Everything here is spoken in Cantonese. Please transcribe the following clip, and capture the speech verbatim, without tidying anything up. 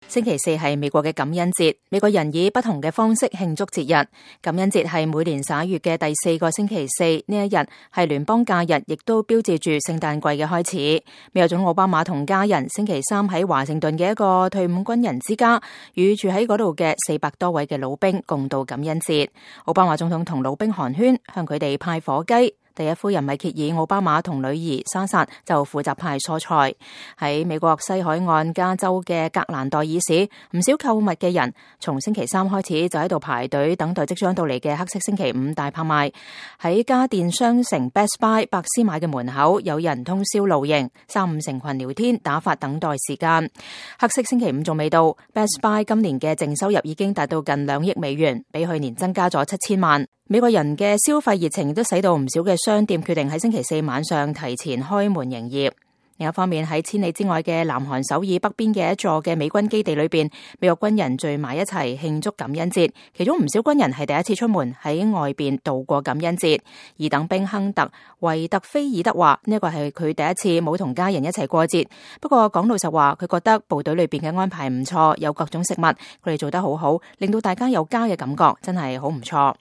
星期四係美國嘅感恩節，美國人以不同嘅方式慶祝節日。感恩節係每年十一月嘅第四個星期四，呢一日係聯邦假日，亦都標誌住聖誕季嘅開始。美國總統奧巴馬同家人星期三喺華盛頓嘅一個退伍軍人之家，與住喺嗰度嘅四百多位嘅老兵共度感恩節。奧巴馬總統同老兵寒暄，向佢哋派火雞。第一夫人米歇爾奧巴馬同女兒莎薩就負責派蔬菜。喺美國西海岸加州嘅格蘭代爾市，唔少購物嘅人從星期三開始就喺度排隊等待即將到嚟嘅黑色星期五大拍賣。喺家電商城 Best Buy 百思買嘅門口，有人通宵露營，三五成群聊天打發等待時間。黑色星期五仲未到， Best Buy 今年嘅淨收入已經達到近兩億美元，比去年增加咗七千萬。美國人嘅消費熱情都使到唔少嘅商店決定喺星期四晚上提前開門營業。另一方面，喺千里之外嘅南韓首爾北邊嘅一座嘅美軍基地裏邊，美國軍人聚埋一齊慶祝感恩節，其中唔少軍人係第一次出門喺外邊度過感恩節。二等兵亨特維特菲爾德話呢一個係佢第一次冇同家人一齊過節，不過講老實話，佢覺得部隊裏邊嘅安排唔錯，有各種食物，佢哋做得好好，令到大家有家嘅感覺，真係好唔錯。